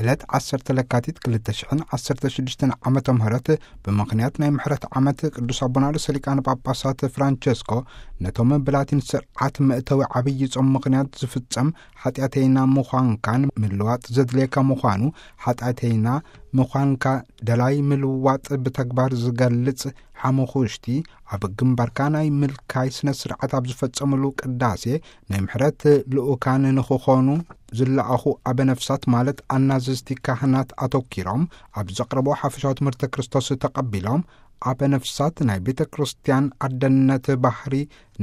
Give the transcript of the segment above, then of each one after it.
ዕለት ዓሰርተ ለካቲት ክልተ ሽሕን ዓሰርተ ሽዱሽተን ዓመተ ምህረት፣ ብምኽንያት ናይ ምሕረት ዓመት ቅዱስ ኣቦና ርእሰ ሊቃነ ጳጳሳት ፍራንቸስኮ፣ ነቶም ብላቲን ስርዓት መእተዊ ዓብዪ ጾም ምኽንያት ዝፍጸም ሓጢኣተይና ምዃንካን ምልዋጥ ዘድልየካ ምዃኑ፣ ሓጢኣተይና ምዃንካ ደላይ ምልዋጥ ብተግባር ዝገልጽ ሓሙኹሽቲ፣ ኣብ ግንባርካ ናይ ምልካይ ስነ ስርዓት ኣብ ዝፈጸምሉ ቅዳሴ፣ ናይ ምሕረት ልኡካን ንኽኾኑ ዝለኣኹ ኣበ ነፍሳት ማለት ኣናዘዝቲ ካህናት ኣተኪሮም ኣብ ዘቕረቦ ሓፈሻዊ ትምህርተ ክርስቶስ ተቐቢሎም፣ ኣበ ነፍሳት ናይ ቤተ ክርስቲያን ኣደነት ባህሪ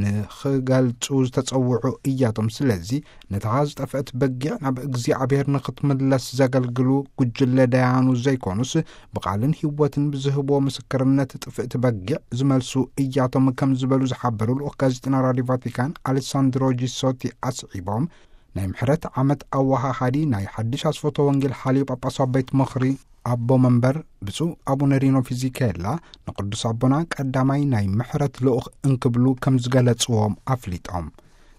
ንኽገልጹ ዝተጸውዑ እያቶም። ስለዚ ነታ ዝጠፍአት በጊዕ ናብ እግዚኣብሔር ንኽትምለስ ዘገልግሉ ጉጅለ ደያኑ ዘይኮኑስ፣ ብቓልን ህይወትን ብዝህቦ ምስክርነት ጥፍእቲ በጊዕ ዝመልሱ እያቶም ከም ዝበሉ ዝሓበሩ ልኡኽ ጋዜጠና ራዲዮ ቫቲካን ኣሌሳንድሮ ጂሶቲ ኣስዒቦም፣ ናይ ምሕረት ዓመት ኣወሃሃዲ ናይ ሓድሽ ኣስፈቶ ወንጌል ሓልዮ ጳጳሳዊ ቤት ምኽሪ ኣቦ መንበር ብፁዕ ኣቡነ ሪኖ ፊዚኬላ፣ ንቅዱስ ኣቦና ቀዳማይ ናይ ምሕረት ልኡኽ እንክብሉ ከም ዝገለጽዎም ኣፍሊጦም።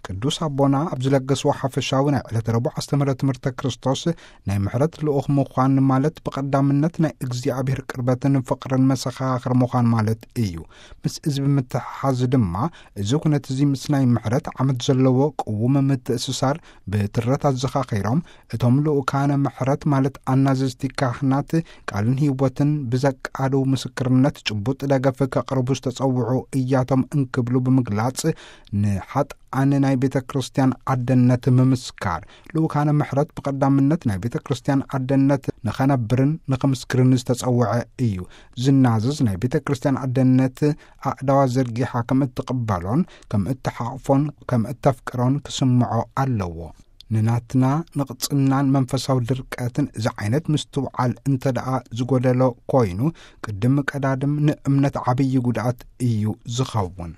ቅዱስ ኣቦና ኣብ ዝለገስዎ ሓፈሻዊ ናይ ዕለተ ረቡዕ ኣስተምህሮ ትምህርተ ክርስቶስ፣ ናይ ምሕረት ልኡኽ ምዃን ማለት ብቐዳምነት ናይ እግዚኣብሔር ቅርበትን ፍቕርን መሰኻኽር ምዃን ማለት እዩ። ምስ እዚ ብምትሕሓዝ ድማ፣ እዚ ኩነት እዚ ምስ ናይ ምሕረት ዓመት ዘለዎ ቅዉም ምትእስሳር ብትረት ኣዘኻኺሮም፣ እቶም ልኡካነ ምሕረት ማለት ኣናዘዝቲ ካህናት ቃልን ህይወትን ብዘቃልው ምስክርነት ጭቡጥ ደገፍ ከቕርቡ ዝተጸውዑ እያቶም እንክብሉ ብምግላጽ፣ ንሓጥኣን ናይ ቤተ ክርስቲያን ኣደነት ምምስካር። ልኡካነ ምሕረት ብቐዳምነት ናይ ቤተ ክርስቲያን ኣደነት ንኸነብርን ንኽምስክርን ዝተጸውዐ እዩ። ዝናዘዝ ናይ ቤተ ክርስቲያን ኣደነት ኣእዳዋ ዘርጊሓ ከም እትቕበሎን ከም እትሓቕፎን ከም እተፍቅሮን ክስምዖ ኣለዎ። ንናትና ንቕጽናን መንፈሳዊ ድርቀትን እዚ ዓይነት ምስትውዓል እንተ ደኣ ዝጎደሎ ኮይኑ፣ ቅድም ቀዳድም ንእምነት ዓብዪ ጉድኣት እዩ ዝኸውን።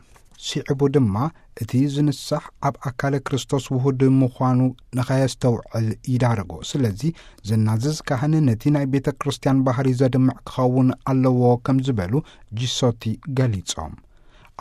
ስዒቡ ድማ፣ እቲ ዝንሳሕ ኣብ ኣካለ ክርስቶስ ውሁድ ምዃኑ ንኸየስተውዕል ይዳርጎ። ስለዚ፣ ዘናዝዝ ካህን ነቲ ናይ ቤተ ክርስቲያን ባህሪ ዘድምዕ ክኸውን ኣለዎ ከም ዝበሉ ጂሶቲ ገሊጾም።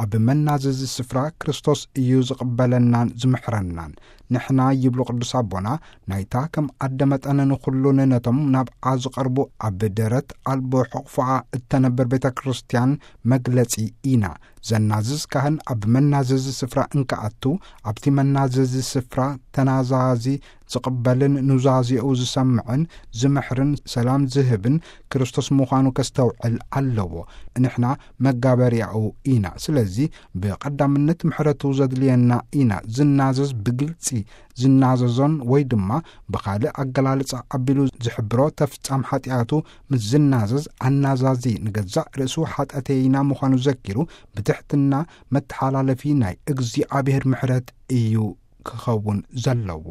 ኣብ መናዘዚ ስፍራ ክርስቶስ እዩ ዝቕበለናን ዝምሕረናን። ንሕና፣ ይብሉ ቅዱስ ኣቦና፣ ናይታ ከም ኣደ መጠን ንኹሉን ነቶም ናብኣ ዝቐርቡ ኣብ ደረት ኣልቦ ሕቕፎኣ እተነብር ቤተ ክርስቲያን መግለጺ ኢና። ዘናዝዝ ካህን ኣብ መናዘዚ ስፍራ እንከኣቱ፣ ኣብቲ መናዘዚ ስፍራ ተናዛዚ ዝቕበልን ኑዛዜኡ ዝሰምዕን ዝምሕርን ሰላም ዝህብን ክርስቶስ ምዃኑ ከስተውዕል ኣለዎ። ንሕና መጋበርያኡ ኢና። ስለዚ ብቐዳምነት ምሕረቱ ዘድልየና ኢና። ዝናዘዝ ብግልጺ ዝናዘዞን ወይ ድማ ብኻልእ ኣገላልጻ ኣቢሉ ዝሕብሮ ተፍጻም ሓጢኣቱ ምስ ዝናዘዝ፣ ኣናዛዚ ንገዛእ ርእሱ ሓጢኣተይና ምዃኑ ዘኪሩ ብትሕትና መተሓላለፊ ናይ እግዚኣብሔር ምሕረት እዩ ክኸውን ዘለዎ።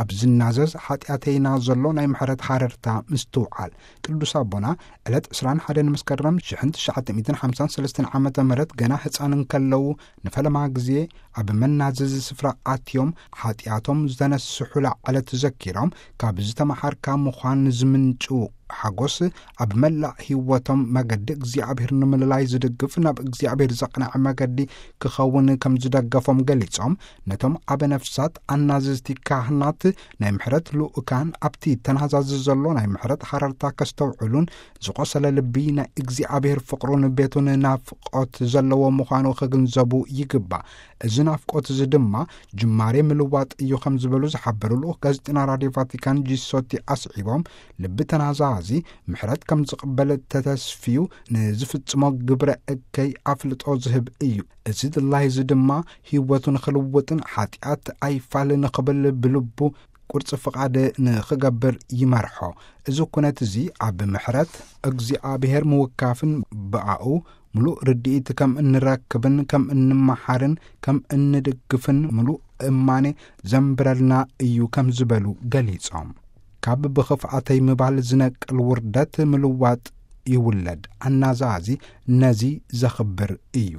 ኣብ ዝናዘዝ ሓጢኣተይና ዘሎ ናይ ምሕረት ሃረርታ ምስትውዓል። ቅዱስ ኣቦና ዕለት ዕስራን ሓደን መስከረም ሽሕን ትሽዓተ ሚእትን ሓምሳን ሰለስተን ዓመተ ምህረት ገና ህጻን እንከለዉ ንፈለማ ግዜ ኣብ መናዘዚ ስፍራ ኣትዮም ሓጢኣቶም ዝተነስሑላ ዕለት ዘኪሮም፣ ካብ ዝተመሃርካ ምዃን ዝምንጩ ሓጎስ ኣብ መላእ ህይወቶም መገዲ እግዚኣብሔር ንምልላይ ዝድግፍ፣ ናብ እግዚኣብሔር ዘቕንዐ መገዲ ክኸውን ከም ዝደገፎም ገሊጾም፣ ነቶም ኣበ ነፍሳት ኣናዘዝቲ ካህናት ናይ ምሕረት ልኡካን ኣብቲ ተናዛዚ ዘሎ ናይ ምሕረት ሃረርታ ከስተውዕሉን ዝቖሰለ ልቢ ናይ እግዚኣብሔር ፍቕሩን ቤቱን ናፍቆት ዘለዎ ምዃኑ ክግንዘቡ ይግባእ። እዚ ናፍቆት እዚ ድማ ጅማሬ ምልዋጥ እዩ ከም ዝበሉ ዝሓበሩ ልኡኽ ጋዜጠና ራድዮ ቫቲካን ጂሶቲ ኣስዒቦም፣ ልቢ ተናዛዚ ምሕረት ከም ዝቕበል ተተስፍዩ ንዝፍጽሞ ግብረ እከይ ኣፍልጦ ዝህብ እዩ። እዚ ድላይ እዚ ድማ ህይወቱ ንኽልውጥን ሓጢኣት ኣይፋል ንኽብል ብልቡ ቁርጺ ፍቓድ ንኽገብር ይመርሖ። እዚ ኩነት እዚ ኣብ ምሕረት እግዚኣብሔር ምውካፍን ብኣኡ ምሉእ ርድኢት ከም እንረክብን ከም እንመሓርን ከም እንድግፍን ምሉእ እማኔ ዘንብረልና እዩ ከም ዝበሉ ገሊጾም። ካብ ብኽፍኣተይ ምባል ዝነቅል ውርደት ምልዋጥ ይውለድ። ኣናዛዚ ነዚ ዘኽብር እዩ።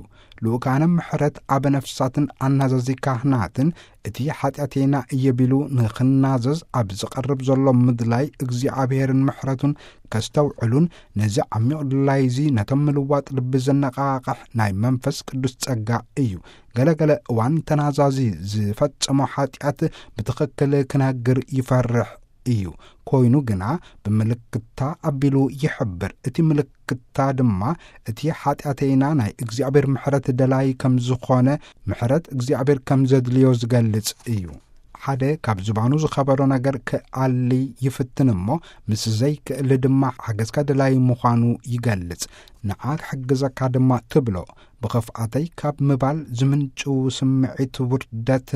ልኡካነ ምሕረት ኣበ ነፍሳትን ኣናዛዚ ካህናትን እቲ ሓጢኣተይና እየ ቢሉ ንኽናዘዝ ኣብ ዝቐርብ ዘሎ ምድላይ እግዚኣብሔርን ምሕረቱን ከስተውዕሉን ነዚ ዓሚቕ ድላይዚ ነቶም ምልዋጥ ልቢ ዘነቓቕሕ ናይ መንፈስ ቅዱስ ጸጋ እዩ። ገለገለ እዋን ተናዛዚ ዝፈጸሞ ሓጢኣት ብትኽክል ክነግር ይፈርሕ እዩ። ኮይኑ ግና ብምልክታ ኣቢሉ ይሕብር። እቲ ምልክታ ድማ እቲ ሓጢኣተይና ናይ እግዚኣብሔር ምሕረት ደላይ ከም ዝኾነ፣ ምሕረት እግዚኣብሔር ከም ዘድልዮ ዝገልጽ እዩ። ሓደ ካብ ዝባኑ ዝኸበዶ ነገር ክኣሊ ይፍትን እሞ፣ ምስ ዘይክእል ድማ ሓገዝካ ደላይ ምዃኑ ይገልጽ። ንዓ ክሕግዘካ ድማ ትብሎ። ብኸፍኣተይ ካብ ምባል ዝምንጭው ስምዒት ውርደት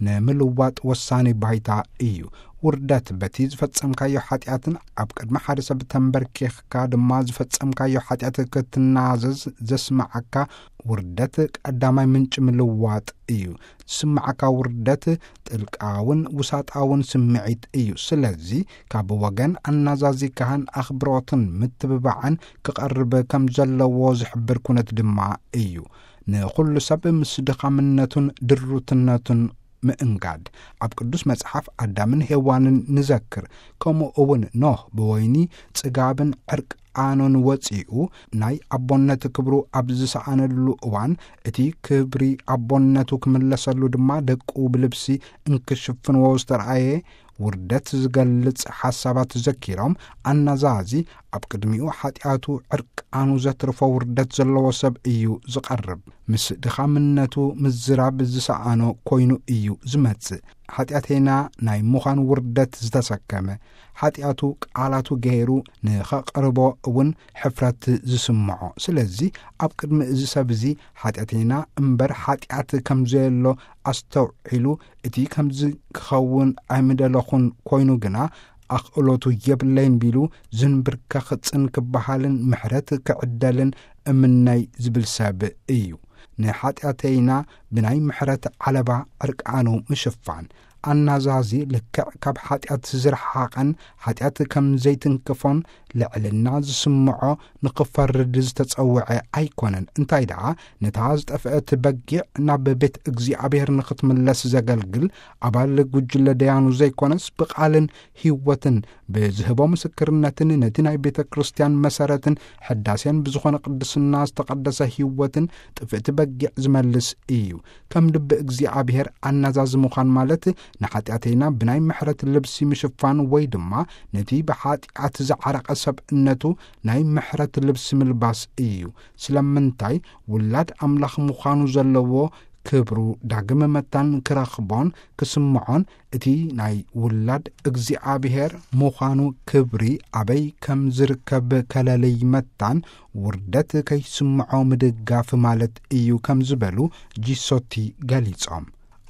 ንምልዋጥ ወሳኒ ባይታ እዩ። ውርደት በቲ ዝፈጸምካዮ ሓጢኣትን ኣብ ቅድሚ ሓደ ሰብ ተንበርኪኽካ ድማ ዝፈጸምካዮ ሓጢኣት ክትናዘዝ ዘስምዓካ ውርደት ቀዳማይ ምንጪ ምልዋጥ እዩ። ዝስምዓካ ውርደት ጥልቃውን ውሳጣውን ስምዒት እዩ። ስለዚ ካብ ወገን ኣናዛዚ ካህን ኣኽብሮትን ምትብባዕን ክቐርብ ከም ዘለዎ ዝሕብር ኩነት ድማ እዩ። ንኹሉ ሰብ ምስ ድኻምነቱን ድሩትነቱን ምእንጋድ። ኣብ ቅዱስ መጽሓፍ ኣዳምን ሄዋንን ንዘክር። ከምኡ እውን ኖህ ብወይኒ ጽጋብን ዕርቃኑን ወጺኡ ናይ ኣቦነት ክብሩ ኣብ ዝሰኣነሉ እዋን፣ እቲ ክብሪ ኣቦነቱ ክምለሰሉ ድማ ደቁ ብልብሲ እንክሽፍንዎ ዝተረኣየ ውርደት ዝገልጽ ሓሳባት ዘኪሮም፣ ኣናዛዚ ኣብ ቅድሚኡ ሓጢኣቱ ዕርቃኑ ዘትርፎ ውርደት ዘለዎ ሰብ እዩ ዝቐርብ። ምስ ድኻምነቱ ምዝራብ ዝሰኣኖ ኮይኑ እዩ ዝመጽእ። ሓጢኣተይና ናይ ምዃን ውርደት ዝተሰከመ፣ ሓጢኣቱ ቃላቱ ገይሩ ንኸቕርቦ እውን ሕፍረት ዝስምዖ። ስለዚ ኣብ ቅድሚ እዚ ሰብ እዚ ሓጢኣተይና እምበር ሓጢኣት ከም ዘየሎ ኣስተውዒሉ፣ እቲ ከምዚ ክኸውን ኣይምደለኹን፣ ኮይኑ ግና ኣኽእሎቱ የብለይን ቢሉ ዝንብርከኽ ጽን ክበሃልን ምሕረት ክዕደልን እምነይ ዝብል ሰብ እዩ። ንሓጢኣተይና ብናይ ምሕረት ዓለባ ዕርቃኑ ምሽፋን። ኣናዛዚ ልክዕ ካብ ሓጢኣት ዝረሓቐን ሓጢኣት ከም ዘይትንክፎን ልዕልና ዝስምዖ ንኽፈርድ ዝተጸውዐ ኣይኮነን። እንታይ ደኣ፣ ነታ ዝጠፍአት በጊዕ ናብ ቤት እግዚኣብሔር ንኽትምለስ ዘገልግል ኣባል ጉጅለ ደያኑ ዘይኮነስ፣ ብቓልን ህይወትን ብዝህቦ ምስክርነትን ነቲ ናይ ቤተ ክርስቲያን መሰረትን ሕዳሴን ብዝኾነ ቅድስና ዝተቐደሰ ህይወትን ጥፍእቲ በጊዕ ዝመልስ እዩ። ከም ልቢ እግዚኣብሔር ኣናዛዚ ምዃን ማለት ንሓጢኣተይና ብናይ ምሕረት ልብሲ ምሽፋን ወይ ድማ ነቲ ብሓጢኣት ዝዓረቐ ሰብእነቱ ናይ ምሕረት ልብሲ ምልባስ እዩ። ስለምንታይ? ውላድ ኣምላኽ ምዃኑ ዘለዎ ክብሩ ዳግም መታን ክረኽቦን ክስምዖን፣ እቲ ናይ ውላድ እግዚኣብሔር ምዃኑ ክብሪ ኣበይ ከም ዝርከብ ከለልይ መታን ውርደት ከይስምዖ ምድጋፍ ማለት እዩ ከም ዝበሉ ጂሶቲ ገሊጾም።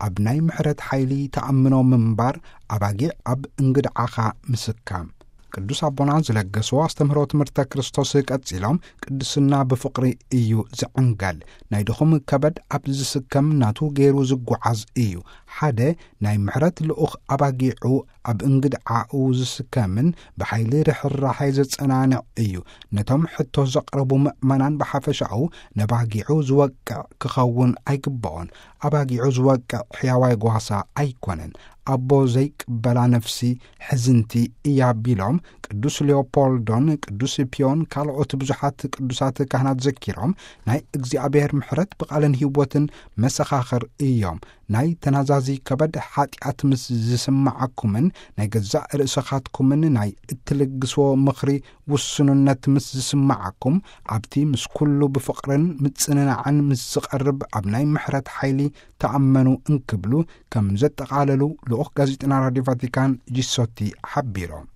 ኣብ ናይ ምሕረት ሓይሊ ተኣምኖ ምንባር ኣባጊዕ ኣብ እንግድዓኻ ምስካም። ቅዱስ ኣቦና ዝለገስዎ ኣስተምህሮ ትምህርተ ክርስቶስ ቀጺሎም፣ ቅድስና ብፍቕሪ እዩ ዝዕንገል። ናይ ድኹም ከበድ ኣብ ዝስከም ናቱ ገይሩ ዝጓዓዝ እዩ። ሓደ ናይ ምሕረት ልኡኽ ኣባጊዑ ኣብ እንግድዓኡ ዝስከምን ብሓይሊ ርሕራሐ ዘጸናንዕ እዩ። ነቶም ሕቶ ዘቕረቡ ምእመናን ብሓፈሻኡ ነባጊዑ ዝወቅዕ ክኸውን ኣይግብኦን። ኣባጊዑ ዝወቅዕ ሕያዋይ ጓሳ ኣይኮነን። ኣቦ ዘይቅበላ ነፍሲ ሕዝንቲ እያ ቢሎም ቅዱስ ሊዮፖልዶን ቅዱስ ፒዮን ካልኦት ብዙሓት ቅዱሳት ካህናት ዘኪሮም፣ ናይ እግዚኣብሔር ምሕረት ብቓልን ህይወትን መሰኻኽር እዮም። ናይ ተናዛዚ ከበድ ሓጢኣት ምስ ዝስምዓኩምን ናይ ገዛእ ርእስኻትኩምን ናይ እትልግስዎ ምኽሪ ውሱንነት ምስ ዝስምዓኩም፣ ኣብቲ ምስ ኩሉ ብፍቕርን ምጽንናዕን ምስ ዝቐርብ ኣብ ናይ ምሕረት ሓይሊ ተኣመኑ እንክብሉ ከም ዘጠቓለሉ ልኡኽ ጋዜጠና ራድዮ ቫቲካን ጂሶቲ ሓቢሮም።